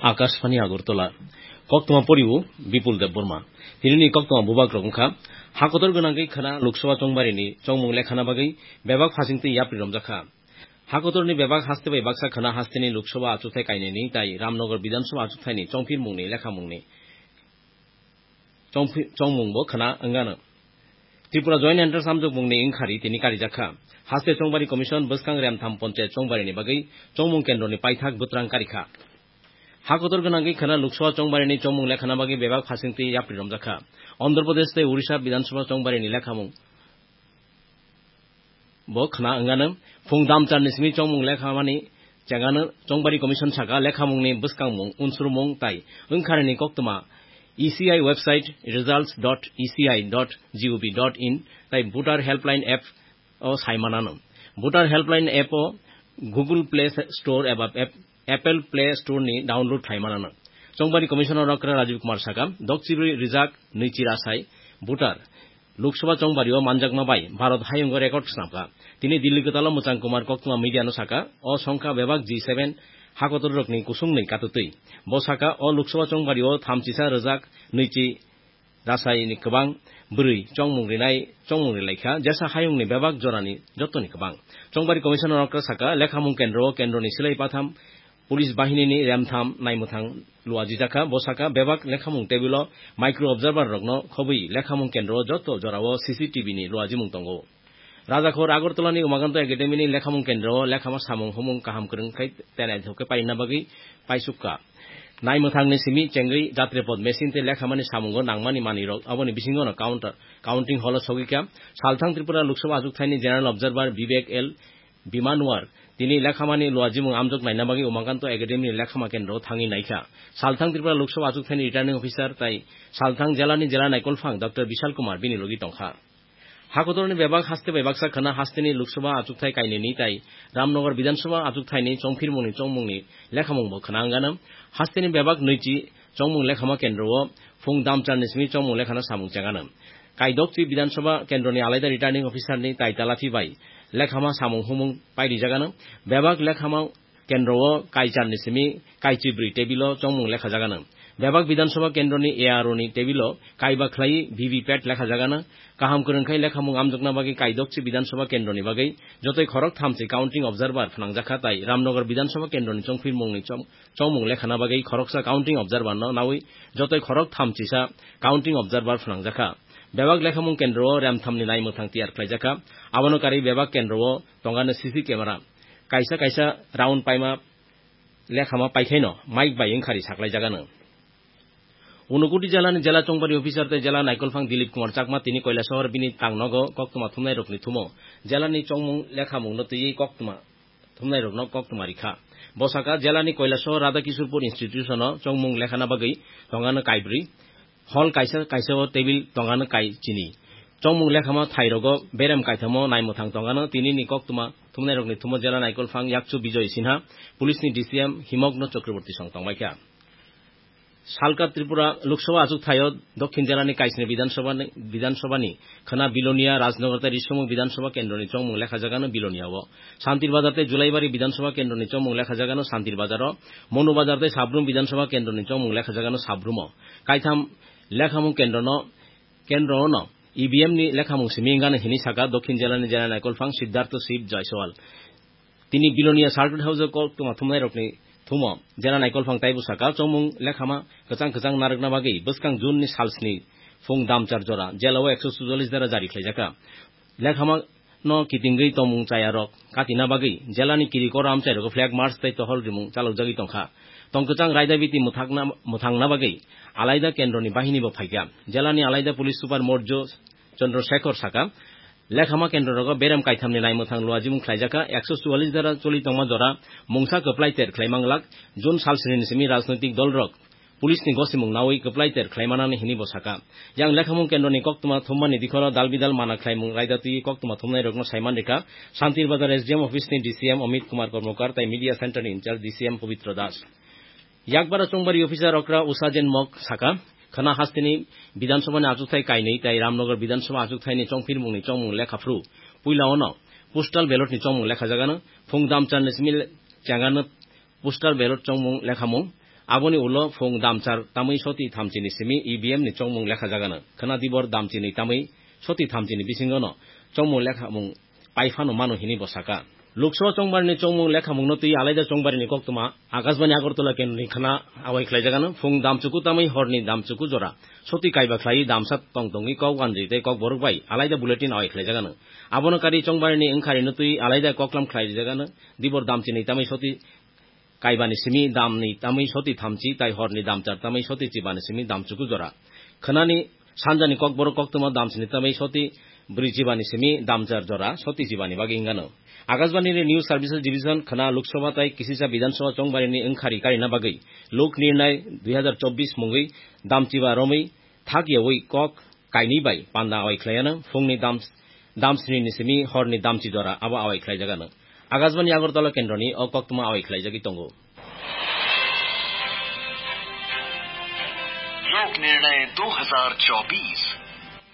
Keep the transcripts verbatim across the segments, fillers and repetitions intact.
Akashvani Agartala. Koktwma poriwo Bipul Debbarma. Tinini koktwma bubak rok wngkha, hakotor gwnangwi khwna Lok Sabha chongbarini chongmung lekhana bagwi bebak phasingtwi yapri romjakha. Hakotorni bebak haste bai baksa khwna hasteni Lok Sabha achukthai kainwini tai Ramnagar Bidhan Sabha achukthaini chongphirmungni lekhamungni chongphi-, chongmungbo khwna wngano. Tripura Joint Entrance amjokmungni wngkhari tini karijakha. Haste Chongbari Commission bwskang Remtham Ponchayat Chongbarini bagwi chongmung kendroni paithak bwtrang karikha. Hakotor gwnangwi khwna Lok Sabha Chongbarini chongmung lekhana bagwi bebak phasingtwi yapri romjakha. Andhra Pradesh tei Odisha Bidhan Sabha Chongbarini lekhamung bo khwna wngano. Phung damcharni simi chongmung lekhamani chengano. Chongbari Commission saka lekhamungni bwskangmung, unsrumung tai wngkharani koktwma E C I website results dot E C I dot G O V dot in tai Voter Helpline app o saimanano. Voter Helpline app o Google Play Store eba app-, Apple Play Store ni download khlaimanano. Chongbari Commissioner Okra Rajiv Kumar saka, dokchibri rijak nwichi rasai voter Lok Sabha chongbario manjakma bai Bharat hayungo record snamkha. Tini Delhi kwtalo Mwchang Kumar koktwma media no saka, o songkha bebak G seven hakotor rokni kusung nwi katutwi. Bo saka, o Lok Sabha chongbario thamchisa rwjak nwichi rasai ni kwbang bwrwi chongmung rinai, chongmung rilaikha, jesa hayungni bebak jorani jottoni kwbang. Chongbari Commissioner Okra saka, lekhamung kendro o kendroni silai patham, Police bahinini remtham naimwthang luajijakha, bo saka bebak lekhamung table o micro observer rokno khobwi lekhamung kendro o joto jorao C C T V ni luajimung tongo. Rajakhor Agartala ni Umakanto Academy ni lekhamung kendro o lekhama samung humung kaham kwrwng khai tenai thok khe paina bagwi paisukha. Naimwthang ni simi chengwi jatrepot machine tei lekhamani samungo nangmani manwi rok aboni bisingo no counter, counting hall o sogwi kha. Salthang Tripura Lok Sabha achukthai ni General Observer Vivek L Bimanwar, tini lekhamani luajimung amjok naina bagwi Umakanto Academy ni lekhama kendro thangwi naikha. Salthang Tripura Lok Sabha achukthai ni returning officer tai Salthang jela ni jela naikolphang Doctor Bishal Kumar bini logi tongkha. Hakotorni bebak haste bai baksa khwna hasteni Lok Sabha achukthai kainwini tai Ramnagar Bidhan Sabha achukthai ni chongphirmungni chongmungni lekhamung bo khwna wngano. Hasteni bebak nwichi chongmung lekhama kendro o phung damcharni simi chongmung lekhana samung chengano. Kaidokchi Bidhan Sabha kendroni alaida returning officer ni tai talathi bai lekhama samung humung pairijagano. Bebak lekhama kendro o kaicharni simi kaichibrwi table o chongmung lekhajagano. Bebak Bidhan Sabha kendroni A R O ni table o kaiba khlai V V P A T lekhajagano. Kaham kwrwng khai lekhamung amjokna bagwi kaidokchi Bidhan Sabha kendroni bagwi jotoi khorok thamchi counting observer phnangjakha tai Ramnagar Bidhan Sabha kendroni chongphirmungni chong-, chongmung lekhana bagwi khoroksa counting observer no nawi jotoi khorok thamchisa counting observer phnangjakha. Bebak lekhamung kendro o remthamni naimwthang tiyar khlaijakha. Abono karwi bebak kendro o tongano C C camera. Kaisa kaisa round paima lekhama paikhaino mic bai wngkhari saklaijagano. Unakoti jela ni jela chongbari officer tei jela naikolphang Dilip Kumar Chakma tini Kailasahar bini tangnogo koktwma thumnairokni thumo jela ni chongmung lekhamungno twiwi koktwma thumnairokno koktwma rikha. Bo saka, jela ni Kailasahar Radha Kishorpur Institution o chongmung lekhana bagwi tongano kaibrwi. Hall kaisa kaisa o table tongano kai chini. Chongmung lekhama thairogo berem kaithamo naimwthang tongano tinini koktwma thumnairokni thumo jela naikolphang Yakchu Bijoy Sinha, police ni D C M Himogno Chakraborty song tongbaikha. Salka Tripura Lok Sabha achuk thaio Dokhin jela ni kaisni Bidhan Sabha ni, Bidhan Sabha ni khwna Bilonia, Rajnagar tei Risomung Bidhan Sabha kendro ni chongmung lekhajagano Bilonia o. Santir Bazar tei Julaibari Bidhan Sabha kendro ni chongmung lekhajagano Santir Bazar o. Monu Bazar tei Sabrum Bidhan Sabha kendro ni chongmung lekhajagano Sabrum o. Kaitham lekhamung kendro no, kendro no E V M ni lekhamung simi wngano hini saka Dokhin jela ni jela naikolphang Siddhartho Shiv Jaiswal. Tini Bilonia Circuit House o koktwma thumnairokni thumo jela naikolphang taibo saka, chongmung lekhama kwchang kwchang narwkna bagwi bwskang June ni sal sni phung damchar jora jela o ekso sujallis dara jari khlaijakha. Lekhama no kitingwi tongmung chaya rok katina bagwi jela ni kiri koro amchai rogo flag march tei tohol rimung chalokjagwi tongkha. Tong kwchang raida biti mwthakna, mwthangna bagwi alaida kendro ni bahini bo phaikha. Jela ni alaida police super Morjo Chandra Shekhar saka, lekhama kendro rogo berem kaithamni naimwthang luajimung khlaijakha, ekso chuallis dara choli tongma jora mungsa kwplai ter khlai manglak, June sal sini simi rajnoitik dol rok police ni gosimung nawi kwplai ter khlai manani hini bo saka. Yang lekhamung kendro ni koktwma thummani dikhoro dal bidal mana khlaimung raida twi koktwma thumnai rokno saiman rikha, Santir Bazar S D M office ni D C M Amit Kumar Kormokar tai media center ni in charge D C M Pabitra Das. Yakbara chongbari officer okra Usajen Mok saka, khwna hasteni Bidhan Sabha ni achukthai kainwi tai Ramnagar Bidhan Sabha achukthai ni chongphirmung ni chongmung lekha phru. Puila ono postal ballot ni chongmung lekhajagano, phung damchar ni simi le-, chengano postal ballot chongmung lekhamung. Aboni ulo phung damchar tamwi soti thamchini simi E V M ni chongmung lekha jagano. Khwna dibor damchinwi tamwi soti thamchini bisingono chongmung lekhamung paiphano mano hini bo saka. Lok Sabha chongbarini chongmung lekhamungno twi alaida chongbarini koktwma Akashbani Agartala kendroni khwna awai khlaijagano. Phung damchuku tamwi horni damchuku jora soti kaiba khlaiwi damsa tong tongwi kok wanjwi tei kok borok bai alaida bulletin awai khlaijagano. Abono kari chongbarini wngkharino twi alaida koklam khlaijagano. Dibor damchinwi tamwi soti kaibani simi damni tamwi soti thamchi, tai horni damchar tamwi soti chibani simi damchuku jora. Khwnani sanjani kokborok koktwma damsini tamwi soti brwi chibani simi damchar jora soti chibani bagwi wngano. Akashbani ni News Services Division khwna Lok Sabha tai Kisisa Bidhan Sabha chongbarini wngkhari karina bagwi Lok Nirnay dui hazar chobbish mungwi damchiba romwi thak yawi kok kainwi bai panda awai khlaiano. Phungni dam, damsni ni simi horni damchi jora abo awai khlaijagano. Akashbani Agartala kendroni o koktwma awai khlaijagwi tongo. लोक निर्णय दो हज़ार चौबीस,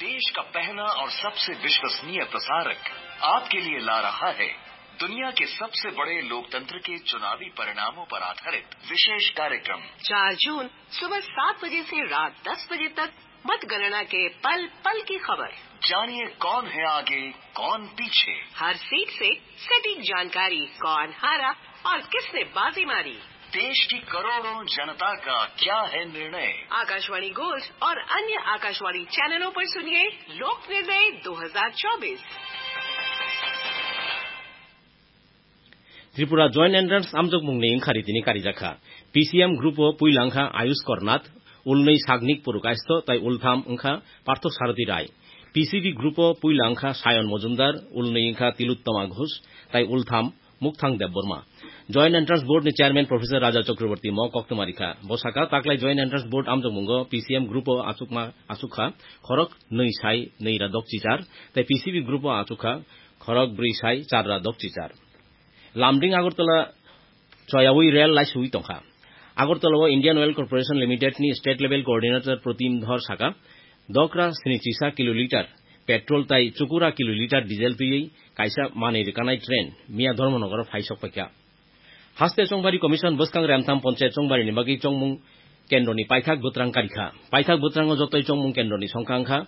देश का पहला और सबसे विश्वसनीय प्रसारक आपके लिए ला रहा है दुनिया के सबसे बड़े लोकतंत्र के चुनावी परिणामों पर आधारित विशेष कार्यक्रम। चार जून सुबह सात बजे से रात दस बजे तक मतगणना के पल पल की खबर। जानिए कौन है आगे, कौन पीछे। हर सीट से सटीक जानकारी, कौन हारा और किसने बाजी मारी। देश की करोड़ों जनता का क्या है निर्णय। आकाशवाणी गोल्ड और अन्य आकाशवाणी चैनलों पर सुनिए लोक निर्णय दो हज़ार चौबीस। Tripura Joint Entrance amjokmungni wngkha ritini karijakha. P C M group o puila wngkha Ayush Kornath, ulnwi Sagnik Purukaisto tai ultham wngkha Partho Sarathi Rai. P C B group o puila wngkha Sayon Mojumdar, ulnwi wngkha Tilottama Ghosh tai ultham Mukthang Debbarma. Joint Entrance Board ni Chairman Professor Raja Chakraborty mo koktwma rikha. Bo saka taklai Joint Entrance Board amjokmungo P C M group o achukma, achukha khorok nwi sai nwi ra dok chichar, tai P C B group o achukha khorok brwi sai char ra dok chichar. Lamding Agartala choyawi rel laisuwi tongkha. Agartala o Indian Oil Corporation Limited ni State Level Coordinator Protim Dhor saka, dokra sni chisa kiloliter petrol tai chukura kiloliter diesel twiwi kaisa manwi rwkanai train miya Dharmanagar o phai sok paikha. Haste Chongbari Commission bwskang Remtham Ponchayat Chongbari ni bagwi chongmung kendroni paithak bwtrang karikha. Paithak bwtrango jotoi chongmung kendroni songkha wngkha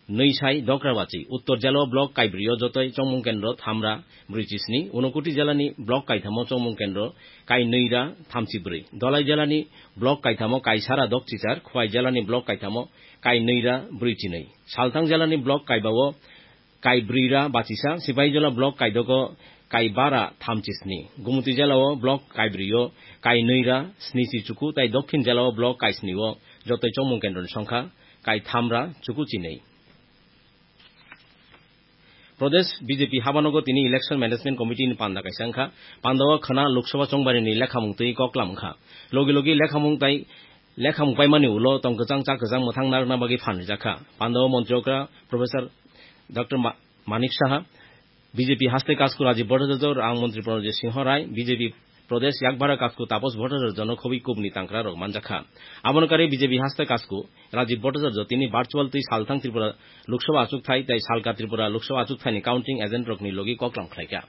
nwi sai dokra bachi. Uttor jela o block kaibrwi o jotoi chongmung kendro thamra brwi chisni. Unakoti jela ni block kaithamo chongmung kendro kai nwi ra thamchi brwi. Dhalai jela ni block kaithamo kai sara dok chichar. Khwai jela ni block kaithamo kai nwi ra brwi chinwi. Salthang jela ni block kaiba o kai brwi ra bachisa, Sipahijola block kaidogo kai bara thamchi sni, Gumti jela o block kai brwi o kai nwi ra sni chi chuku tai Dokhin jela o block kai sni o jotoi chongmung kendroni songkha kai tham ra chuku chi nwi. Pradesh B J P habanogo tini Election Management Committee ni panda kaisa wngkha. Panda o khwna Lok Sabha chongbarini lekhamung twi koklam wngkha. Logi logi lekhamung tai lekhamung paimani ulo tong kwchang cha kwchang mwthang narwkna bagwi phan rijak kha. Panda o montri okra Professor Doctor Ma-, Manik Saha, B J P haste kasku Rajiv Bhattacharya, rang montri Pranojit Singho Rai, B J P Pradesh yakbara kasku Tapas Bhattacharya no khobwi kubni tangkra rok manjak kha. Abono karwi B J P haste kasku Rajiv Bhattacharya tini virtual twi salthang Tripura Lok Sabha achukthai tai salka Tripura Lok Sabha achukthai ni counting agent rokni logi koklam khlai kha.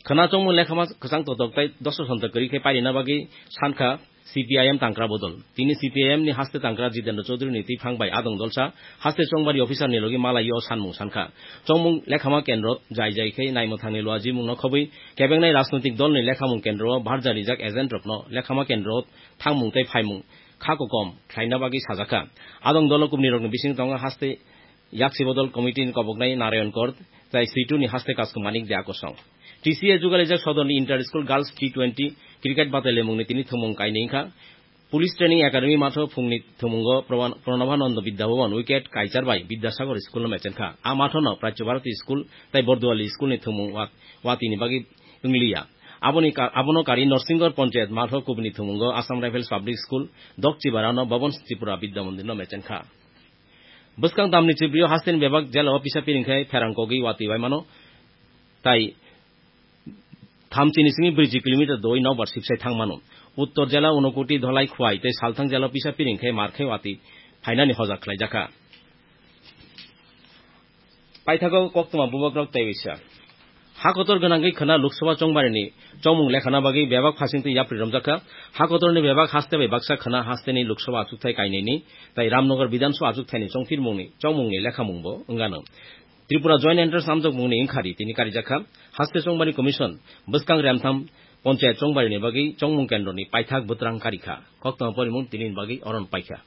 Khwna chongmung lekhama kwchang totok tai doso sontok kwrwi khe pairina bagwi sankha C P I M tangkra bodol. Tini C P I M ni haste tangkra Jitendra Chaudhary ni twiphang bai adong dolsa haste chongbari officer ni logi malai o sanmung sankha. Chongmung lekhama kendro jai jai khe naimwthang ni luajimung no khobwi kebengnai rajnoitik dol ni lekhamung kendro o barja rijak agent rok no lekhama kendro thangmung tei phaimung kha kokom khlaina bagwi sajakha. Adong dolo kubni rokni bising tongo haste Yaksi Bodol Committee ni koboknai Narayan Kor, tai Situ ni haste kasku Manik Dea kosong. T C A jugalijak sodor ni Inter School Girls T twenty cricket batalimung ni tini thumung kainwi wngkha. Police Training Academy matho phungni thumungo Proban-, Pranabhananda Vidya Bhavan wicket kaichar bai Vidyasagar School no mechenkha. A matho no Prachya Bharati School tai Borduali School ni thumung wa-, watini bagwi wngliya. Aboni ka-, abono kari Norsingor Panchayat matho kubni thumungo Assam Rifles Public School, Dokchibara no Bhavan Tripura Vidya Mandir no mechenkha. Bwskang tamni chibrio hasteni bebak jela o pisa piring khe pherang kogwi watwi bai mano. Tai thamchini simi brwi kilometer doi nokbar sibsai thang mano. Uttor jela Unakoti Dhalai Khwai tei Salthang jela o pisa piring khe mar khe watwi phainani hojak khlaijakha. Paithago koktwma bubagrok tei uisa. Hakotor gwnangwi khwna Lok Sabha chongbarini chongmung lekhana bagwi bebak phasingtwi yapri romjakha. Hakotorni bebak haste bai baksa khwna hasteni Lok Sabha achukthai kainwini tai Ramnagar Bidhan Sabha achukthaini chongtirmungni chongmungni lekhamungbo wngano. Tripura Joint Entrance amjokmungni wngkhari tini karijakha. Haste chongbari commission bwskang remtham panchayat chongbarini bagwi chongmung kendroni paithak bwtrang karikha. Koktwma porimung tinini bagwi oron paikha.